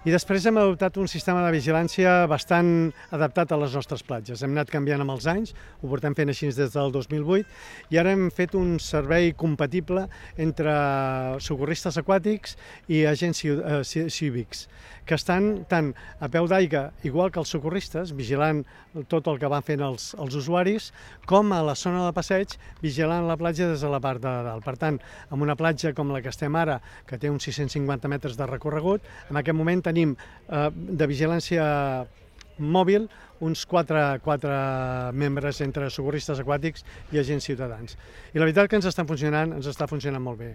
I després hem adoptat un sistema de vigilància bastant adaptat a les nostres platges. Hem anat canviant amb els anys, ho portem fent així des del 2008, i ara hem fet un servei compatible entre socorristes aquàtics i agents cívics, que estan tant a peu d'aigua, igual que els socorristes, vigilant tot el que van fent els usuaris, com a la zona de passeig, vigilant la platja des de la part de dalt. Per tant, en una platja com la que estem ara, que té uns 650 metres de recorregut, en aquest moment tenim de vigilància mòbil uns 4 membres entre socorristes aquàtics i agents ciutadans. I la veritat que ens està funcionant molt bé.